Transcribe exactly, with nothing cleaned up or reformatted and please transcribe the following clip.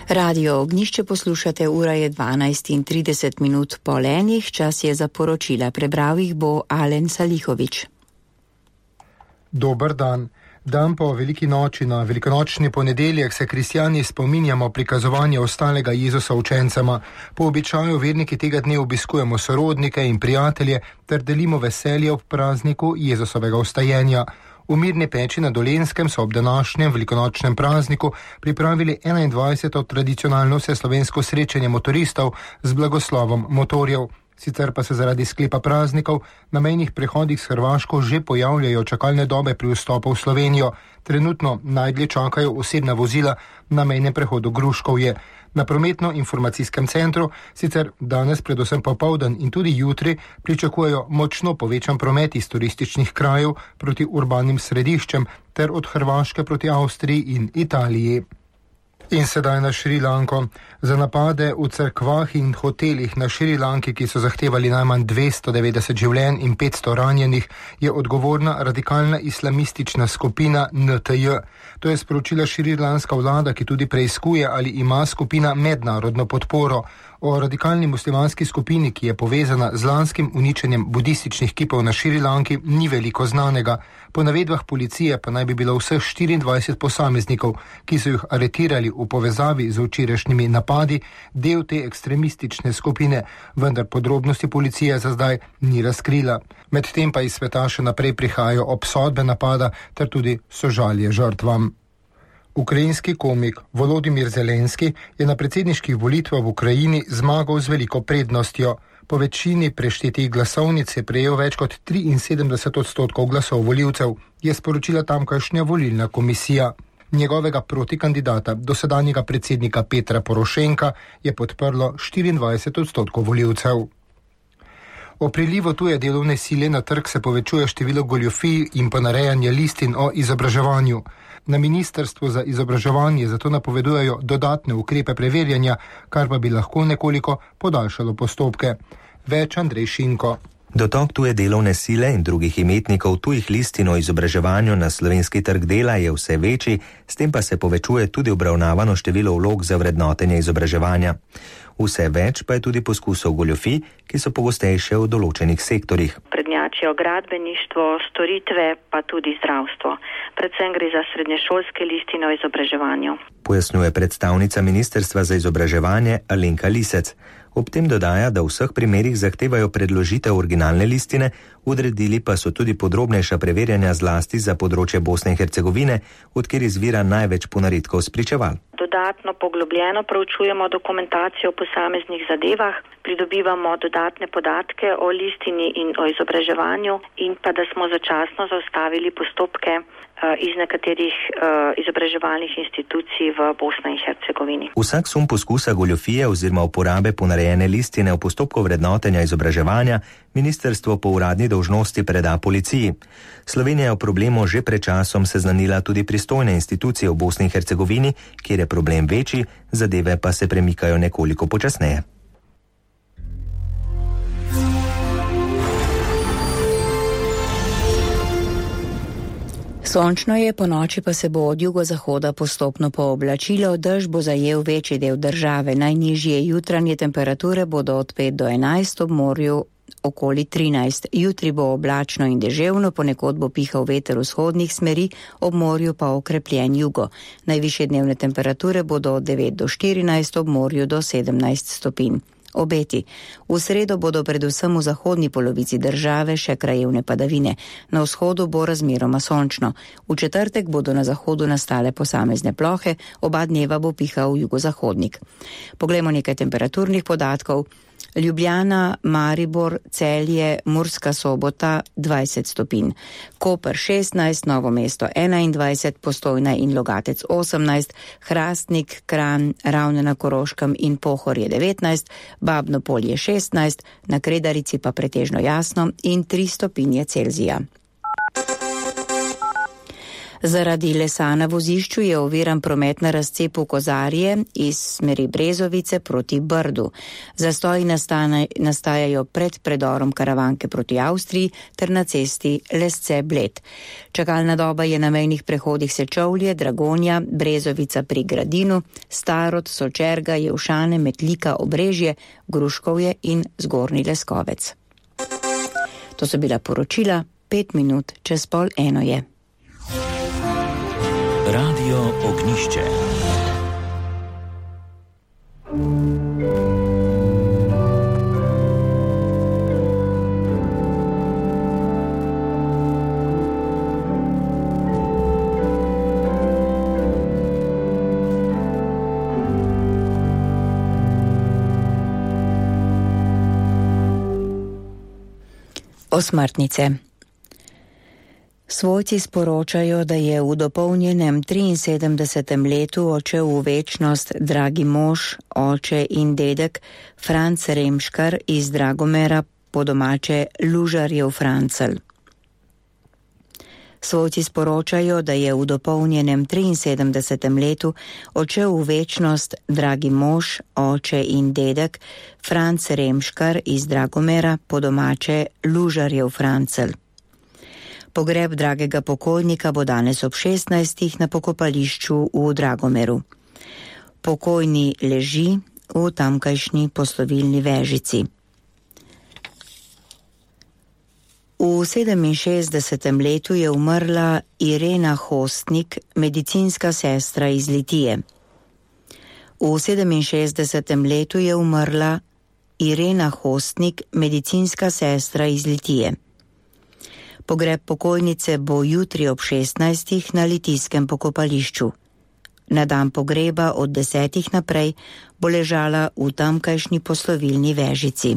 Radio Ognjišče poslušate, ura je dvanajst in trideset minut po enih, čas je za poročila. Prebral jih bo Alen Salihovič. Dober dan. Dan po veliki noči na velikonočni ponedeljek se kristjani spominjamo prikazovanja ostalega Jezusa učencema. Po običaju verniki tega dne obiskujemo sorodnike in prijatelje ter delimo veselje ob prazniku Jezusovega vstajenja. V Mirni Peči na Dolenjskem so ob današnjem velikonočnem prazniku pripravili enaindvajseto tradicionalno vseslovensko srečanje motoristov z blagoslovom motorjev. Sicer pa se zaradi sklepa praznikov na mejnih prehodih s Hrvaško že pojavljajo čakalne dobe pri vstopu v Slovenijo. Trenutno najdlje čakajo osebna vozila na mejnem prehodu Gruškovje. Na prometno-informacijskem centru sicer danes predvsem popoldan in tudi jutri pričakujejo močno povečan promet iz turističnih krajev proti urbanim središčem ter od Hrvaške proti Avstriji in Italiji. In sedaj na Šrilanko. Za napade v cerkvah in hotelih na Šrilanki, ki so zahtevali najmanj dvesto devetdeset življenj in petsto ranjenih, je odgovorna radikalna islamistična skupina N T J. To je sporočila šrilanska vlada, ki tudi preiskuje, ali ima skupina mednarodno podporo. O radikalni muslimanski skupini, ki je povezana z lanskim uničenjem budističnih kipov na Šrilanki, ni veliko znanega. Po navedbah policije pa naj bi bilo vseh štiriindvajset posameznikov, ki so jih aretirali v povezavi z včerajšnjimi napadi, del te ekstremistične skupine, vendar podrobnosti policija za zdaj ni razkrila. Medtem pa iz sveta še naprej prihajajo obsodbe napada ter tudi sožalje žrtvam. Ukrajinski komik Volodimir Zelenski je na predsedniških volitvah v Ukrajini zmagal z veliko prednostjo. Po večini preštetih glasovnic je prejel več kot triinsedemdeset odstotkov glasov volivcev, je sporočila tamkajšnja volilna komisija. Njegovega protikandidata, dosedanjega predsednika Petra Porošenka, je podprlo štiriindvajset odstotkov volivcev. O prilivu tuje delovne sile na trg se povečuje število goljufij in ponarejanja listin o izobraževanju. Na Ministrstvu za izobraževanje zato napovedujejo dodatne ukrepe preverjanja, kar pa bi lahko nekoliko podaljšalo postopke. Več Andrej Šinko. Dotok tuje delovne sile in drugih imetnikov tujih listin o izobraževanju na slovenski trg dela je vse večji, s tem pa se povečuje tudi obravnavano število vlog za vrednotenje izobraževanja. Vse več pa je tudi poskusov goljufij, ki so pogostejše v določenih sektorjih. Prednjačijo gradbeništvo, storitve pa tudi zdravstvo. Predvsem gre za srednješolske listine o izobraževanju. Pojasnjuje predstavnica Ministrstva za izobraževanje Alenka Lisec. Ob tem dodaja, da v vseh primerih zahtevajo predložitev originalne listine, odredili pa so tudi podrobnejša preverjanja zlasti za področje Bosne in Hercegovine, odkjer izvira največ ponaredkov spričeval. Dodatno poglobljeno proučujemo dokumentacijo o posameznih zadevah, pridobivamo dodatne podatke o listini in o izobraževanju in pa da smo začasno zaustavili postopke iz nekaterih uh, izobraževalnih institucij v Bosni in Hercegovini. Vsak sum poskusa goljufije oziroma uporabe ponarejene listine v postopku vrednotenja izobraževanja ministrstvo po uradni dolžnosti preda policiji. Slovenija je o problemu že pred časom seznanila tudi pristojne institucije v Bosni in Hercegovini, kjer je problem večji, zadeve pa se premikajo nekoliko počasneje. Sončno je, po noči pa se bo od jugozahoda postopno pooblačilo, dež bo zajel večji del države. Najnižje jutranje temperature bodo od pet do enajst, ob morju okoli trinajst. Jutri bo oblačno in deževno, ponekod bo pihal veter vzhodnih smeri, ob morju pa okrepljen jugo. Najvišje dnevne temperature bodo od devet do štirinajst, ob morju do sedemnajst stopinj. Obeti. V sredo bodo predvsem v zahodni polovici države še krajevne padavine. Na vzhodu bo razmeroma sončno. V četrtek bodo na zahodu nastale posamezne plohe, oba dneva bo pihal jugozahodnik. Poglejmo nekaj temperaturnih podatkov. Ljubljana, Maribor, Celje, Murska Sobota dvajset stopinj, Koper šestnajst, Novo mesto enaindvajset, Postojna in Logatec osemnajst, Hrastnik, Kranj, Ravne na Koroškem in Pohorje devetnajst, Babno Polje šestnajst, na Kredarici pa pretežno jasno in tri stopinje Celzija. Zaradi lesa na vozišču je oviran promet na razcepu Kozarje iz smeri Brezovice proti Brdu. Zastoji nastane, nastajajo pred predorom Karavanke proti Avstriji ter na cesti Lesce-Bled. Čakalna doba je na mejnih prehodih Sečovlje, Dragonja, Brezovica pri Gradinu, Starod, Sočerga, Jevšane, Metlika, Obrežje, Gruškovje in Zgornji Leskovec. To so bila poročila, pet minut čez pol eno je. Radio Ognišče. Osmrtnice. Svojci sporočajo, da je v dopolnjenem triinsedemdesetem letu odšel v večnost dragi mož, oče in dedek Franc Remškar iz Dragomera, po domače Lužarjev Francel. Svojci sporočajo, da je v dopolnjenem triinsedemdesetem letu odšel v večnost dragi mož, oče in dedek Franc Remškar iz Dragomera, po domače Lužarjev Francel. Pogreb dragega pokojnika bo danes ob šestnajstih na pokopališču v Dragomeru. Pokojni leži v tamkajšnji poslovilni vežici. V sedeminšestdesetem letu je umrla Irena Hostnik, medicinska sestra iz Litije. V sedeminšestdesetem letu je umrla Irena Hostnik, medicinska sestra iz Litije. Pogreb pokojnice bo jutri ob šestnajstih na litijskem pokopališču. Na dan pogreba od desetih naprej bo ležala v tamkajšnji poslovilni vežici.